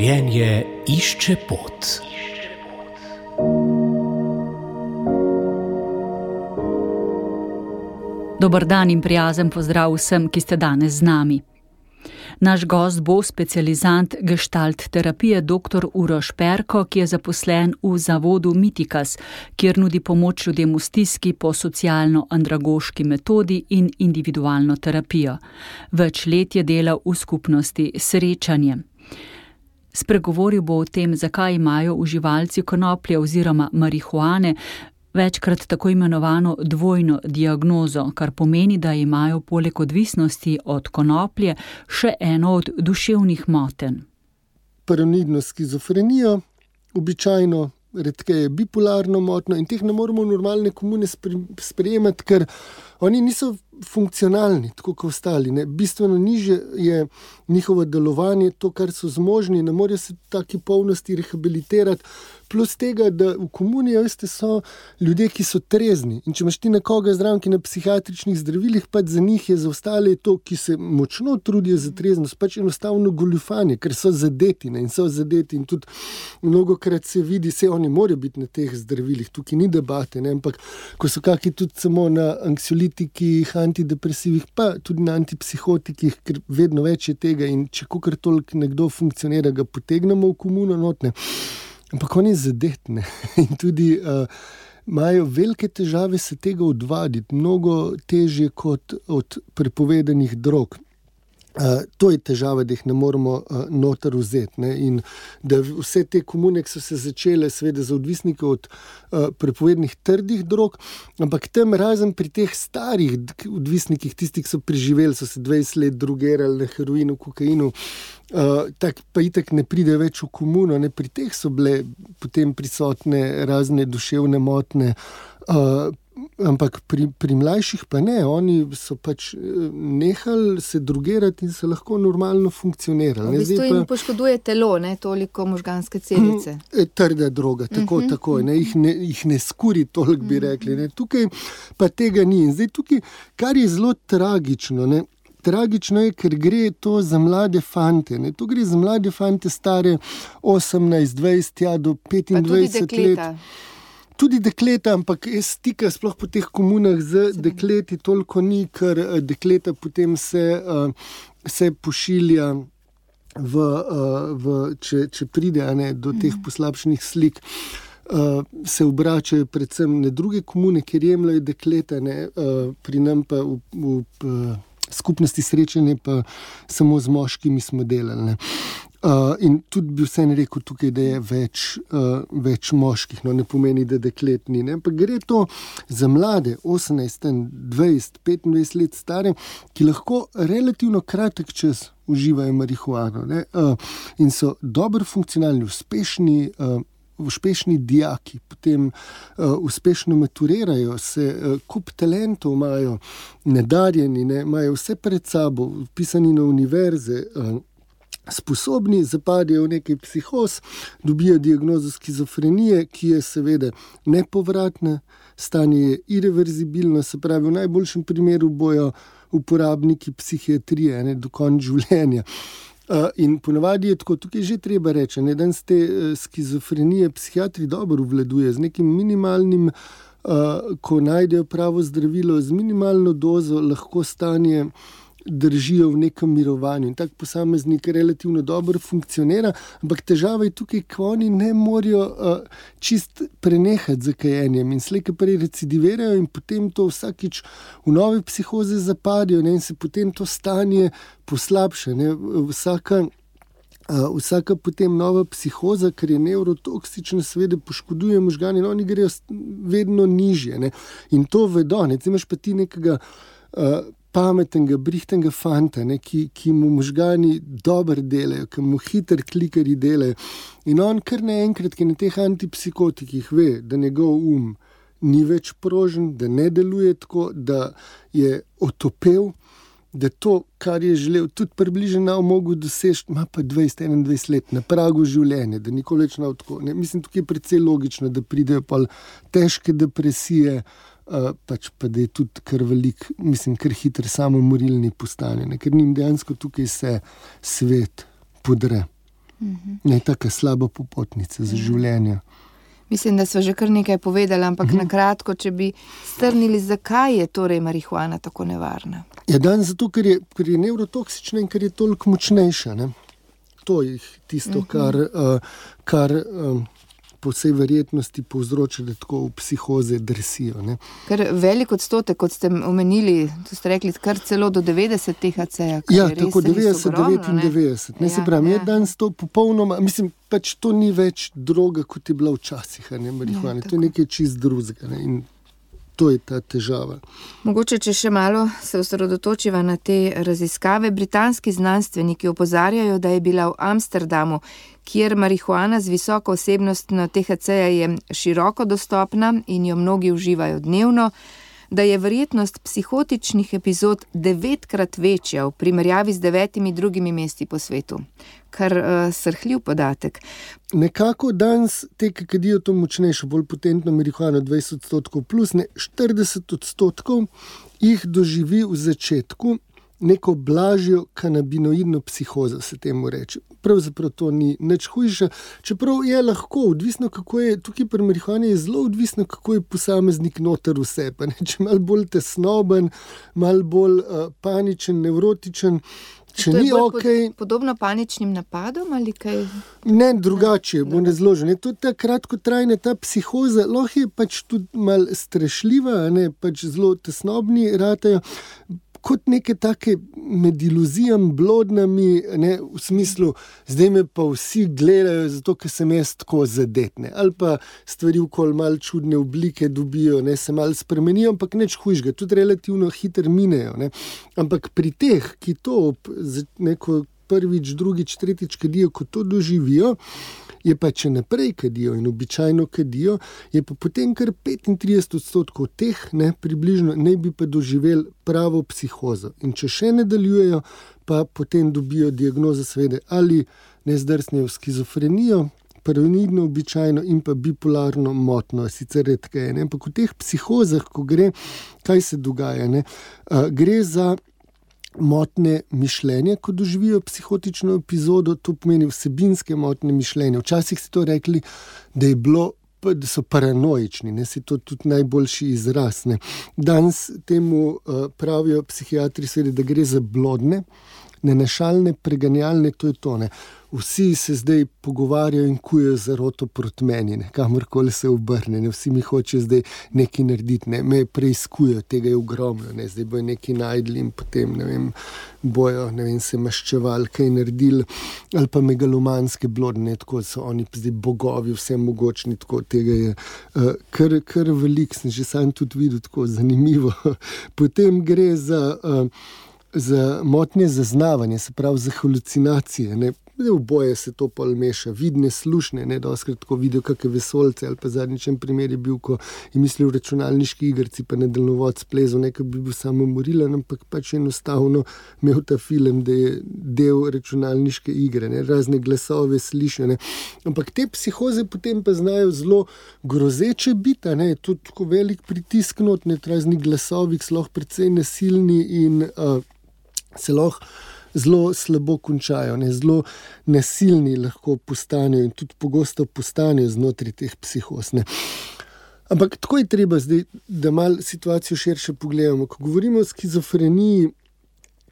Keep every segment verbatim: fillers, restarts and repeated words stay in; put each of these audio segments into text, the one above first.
Življenje išče pot. Dober dan in prijazen pozdrav vsem, ki ste danes z nami. Naš gost bo specializant gestalt terapije doktor Uroš Perko, ki je zaposlen v zavodu Mitikas, kjer nudi pomoč ljudem v stiski po socialno-andragoški metodi in individualno terapijo. Več let je delal v skupnosti Srečanje. Spregovoril bo o tem, zakaj imajo uživalci konoplje oziroma marihuane večkrat tako imenovano dvojno diagnozo, kar pomeni, da imajo poleg odvisnosti od konoplje še eno od duševnih motenj. Paranoidno skizofrenijo, običajno redkeje bipolarno motnjo in teh ne moremo normalne komune sprejemati, ker oni niso funkcionalni, tako kot ostali. Ne. Bistveno nižje je njihovo delovanje, to, kar so zmožni, ne morejo se v taki polnosti rehabilitirati. Plus tega, da v komuni, veste, so ljudje, ki so trezni. In če imaš ti nekoga zraven, ki na psihiatričnih zdravilih, pač za njih je za ostale to, ki se močno trudijo za treznost, pač enostavno goljufanje, ker so zadeti, ne, in so zadeti. In tudi mnogokrat se vidi, se oni morajo biti na teh zdravilih, tukaj ni debate, ne, ampak ko so kaki tudi samo na anksiolitikih, antidepresivih, pa tudi na antipsihotikih, ker vedno več je tega in če kakor toliko nekdo funkcionira, ga potegnemo v komuno notne. Ampak oni zadetne in tudi uh, imajo velike težave se tega odvaditi, mnogo težje kot od prepovedanih drog. Uh, to je težava, da jih ne moramo uh, noter vzeti. Ne? In da vse te komune, ki so se začele seveda za odvisnike od uh, prepovednih trdih drog, ampak tam razen pri teh starih odvisnikih, tistih, ki so preživeli, so se dvajset let drogerali na heroinu, kokainu, Uh, tak pa itak ne pride več v komuno, ne, pri teh so bile potem prisotne razne duševne motne, uh, ampak pri, pri mlajših pa ne, oni so pač nehali se drogerati in so lahko normalno funkcionirali. V bistvu jim poškoduje telo, ne, toliko možganske celice. Trda droga, tako, uh-huh, tako, ne, jih ne, jih ne skuri toliko, bi rekli, ne, tukaj pa tega ni. In zdaj tukaj, kar je zelo tragično, ne, Tragično je, ker gre to za mlade fante. Ne? To gre za mlade fante stare osemnajst, dvajset, ja, do petindvajset let. Tudi dekleta, ampak jaz stika sploh po teh komunah z dekleti toliko ni, ker dekleta potem se, uh, se pošilja, v, uh, v, če, če pride a ne, do teh poslabšenih slik. Uh, se obračajo predvsem na druge komune, kjer jemljajo dekleta, ne? Uh, pri nam pa v, v, v skupnosti Srečanje pa samo z moškimi smo delali. Ne. Uh, in tudi bi vseeno rekel tukaj, da je več, uh, več moških, no ne pomeni, da deklet ni. Ne. Ampak gre to za mlade, osemnajst, dvajset, petindvajset let stare, ki lahko relativno kratek čas uživajo marihuano, ne. Uh, in so dobro funkcionalni, uspešni, uh, uspešni dijaki, potem uh, uspešno maturirajo, se uh, kup talentov imajo, nadarjeni, ne, imajo vse pred sabo, vpisani na univerze, uh, sposobni, zapadajo v nekaj psihoz, dobijo diagnozo skizofrenije, ki je seveda nepovratna, stanje je irreverzibilno, se pravi, v najboljšem primeru bojo uporabniki psihiatrije, ne, do konca življenja. Uh, in ponavadi je tako, tukaj že treba reči, ne, danes te uh, skizofrenije psihiatri dobro obvladuje z nekim minimalnim, uh, ko najdejo pravo zdravilo, z minimalno dozo lahko stanje držijo v nekem mirovanju in tak posameznik relativno dobro funkcionira, ampak težava je tukaj, ko oni ne morajo uh, čist prenehati z kajenjem in slej, ki prej recidivirajo in potem to vsakič v nove psihoze zapadijo, ne, in se potem to stanje poslabša. Ne. Vsaka, uh, vsaka potem nova psihoza, ker je nevrotoksična, seveda poškoduje možgane in oni grejo vedno nižje. Ne. In to vedo, ne. Imaš pa ti nekega uh, pametnega, brihtnega fanta, ne, ki, ki mu možgani dobro delajo, ki mu hiter klikari delajo. In on kar naenkrat, ki na teh antipsikotikih ve, da njegov um ni več prožen, da ne deluje tako, da je otopel, da to, kar je želel, tudi približno mogel doseči, ima pa dvajset, enaindvajset let na pragu življenja, da nikoli več ne tako. Ne, mislim, tukaj je precej logično, da pridejo pa težke depresije, uh, pač pa da je tudi kar velik, mislim, kar hiter samomorilni postane, ne, ker njim dejansko tukaj se svet podre. Mhm. Ne, taka slaba popotnica za življenje. Mislim, da smo že kar nekaj povedali, ampak mhm. na kratko, če bi strnili, zakaj je torej marihuana tako nevarna? Ja, dan zato, ker je, ker je nevrotoksična in ker je toliko močnejša, ne. To je tisto, mhm. kar, uh, kar um, po vsej verjetnosti povzroča, da tako v psihoze drsijo. Ne. Ker velik odstotek, kot ste omenili, to ste rekli, kar celo do devetdeset T H C-ja. Ja, tako devetdeset, devetindevetdeset. Ne, ne, se pravi, ja, je danes to popolnoma, mislim, pač to ni več droga, kot je bila včasih, ne, marihuana. Ja, to je nekaj čist drugega, ne, in to je ta težava. Mogoče, če še malo se osredotočiva na te raziskave, britanski znanstveniki opozarjajo, da je bila v Amsterdamu, kjer marihuana z visoko vsebnostjo T H C-ja je široko dostopna in jo mnogi uživajo dnevno, da je verjetnost psihotičnih epizod devetkrat večja v primerjavi z devetimi drugimi mesti po svetu. Kar uh, srhljiv podatek. Nekako danes te, ki kadijo to močnejšo, bolj potentno marihuano, dvajset odstotkov plus, ne, štirideset odstotkov jih doživi v začetku neko blažjo kanabinoidno psihozo, se temu reče. Pravzaprav to ni nič hujše, čeprav je lahko, odvisno kako je, tukaj pri marihuani je zelo odvisno, kako je posameznik noter vse, pa ne, če malo bolj tesnoben, malo bolj uh, paničen, nevrotičen, če ni okej. Pod, podobno paničnim napadom ali kaj? Ne, drugače, bo ne zložen. To je ta kratkotrajna, ta psihoza, lahko je pač tudi malo strešljiva, ne, pač zelo tesnobni ratajo, kot neke take med iluzijami, blodnami, ne, v smislu, zdaj me pa vsi gledajo, zato ker sem jaz tako zadetne. Ali pa stvari okoli malo čudne oblike dobijo, ne, se malo spremenijo, ampak nič hujšega, tudi relativno hitro minejo. Ne. Ampak pri teh, ki to neko prvič, drugič, tretjič kadijo, ko to doživijo, je pa če naprej kadijo in običajno kadijo, je pa potem kar petintrideset odstotkov teh, ne, približno, ne bi pa doživeli pravo psihozo. In če še nadaljujejo, pa potem dobijo diagnozo seveda ali nezdrsnejo skizofrenijo, paranoidno običajno in pa bipolarno motno, sicer redkeje. Ampak v teh psihozah, ko gre, kaj se dogaja, ne, uh, gre za motne mišljenja, ko doživijo psihotično epizodo, to pomeni vsebinske motne mišljenja. Včasih si to rekli, da je bilo, da so paranoični, ne, si to tudi najboljši izraz. Ne. Danes temu uh, pravijo psihiatri, seveda, da gre za blodne, nenašalne, preganjalne, to je to. Ne. Vsi se zdaj pogovarjajo in kujejo zaroto proti meni, ne, kamorkoli se obrne, ne, vsi mi hočejo zdaj nekaj narediti, ne, me preiskujejo, tega je ogromno, ne, zdaj bojo nekaj najdli in potem, ne vem, bojo, ne vem, se maščevali, kaj naredili, ali pa megalomanske blodne, tako so oni zdaj bogovi, vse mogočni, tako tega je uh, kar, kar velik, sem že sam tudi videl, tako zanimivo. Potem gre za, uh, za motnje zaznavanje, se pravi za halucinacije, ne. V boje se to pol meša, vidne, slušne, ne, doskrat tako vidijo kakve vesolce, ali pa zadnjičen primer je bil, ko je mislil računalniški igrci, pa na daljnovod splezal, nekaj bi bil samo morilen, ampak pač enostavno imel ta film, da je del računalniške igre, ne, razne glasove sliša, ne. Ampak te psihoze potem pa znajo zelo grozeče biti, ne, je tudi tako velik pritisk not, ne, razni glasovi, so lahko precej nasilni in uh, se lahko zelo slabo končajo, ne, zelo nasilni lahko postanejo in tudi pogosto postanejo znotraj teh psihoz. Ne. Ampak tako je treba zdaj, da malo situacijo širše pogledamo. Ko govorimo o skizofreniji,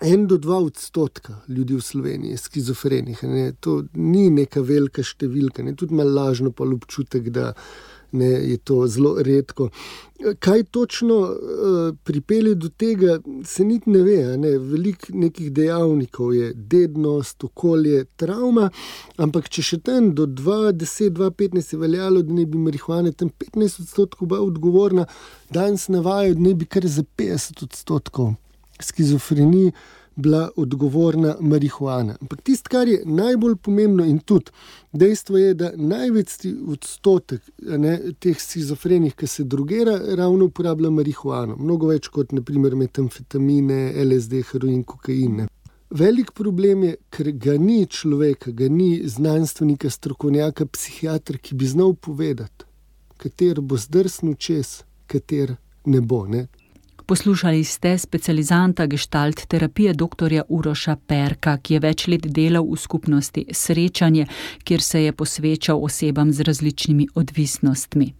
en do dva odstotka ljudi v Sloveniji je skizofrenih. Ne. To ni neka velika številka, ne. Tudi malo lažno pa občutek, da ne, je to zelo redko. Kaj točno uh, pripelje do tega, se niti ne ve. Ne? Veliko nekih dejavnikov je dednost, okolje, travma, ampak če še tam do dva deset, dva petnajst je veljalo, da ne bi marihuana tam petnajst odstotkov bila odgovorna, danes navajajo, da ne bi kar za petdeset odstotkov skizofreniji bila odgovorna marihuana. Ampak tisto, kar je najbolj pomembno in tudi dejstvo je, da največ odstotek, ne, teh skizofrenih, ki se drogera, ravno uporablja marihuano. Mnogo več kot naprimer metamfetamine, L S D, heroin, kokain. Ne. Velik problem je, ker ga ni človeka, ga ni znanstvenika, strokovnjaka, psihiatra, ki bi znal povedati, kater bo zdrsnil čez, kater ne bo. Ne. Poslušali ste specializanta gestalt terapije doktorja Uroša Perka, ki je več let delal v skupnosti Srečanje, kjer se je posvečal osebam z različnimi odvisnostmi.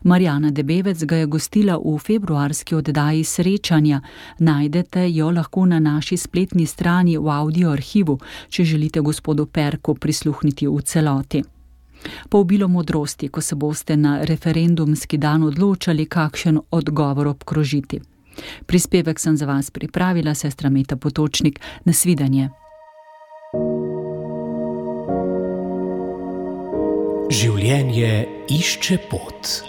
Marjana Debevec ga je gostila v februarski oddaji Srečanja. Najdete jo lahko na naši spletni strani v audio arhivu, če želite gospodu Perku prisluhniti v celoti. Po obilo modrosti, ko se boste na referendumski dan odločali, kakšen odgovor obkrožiti. Prispevek sem za vas pripravila, sestra Meta Potočnik. Nasvidenje. Življenje išče pot.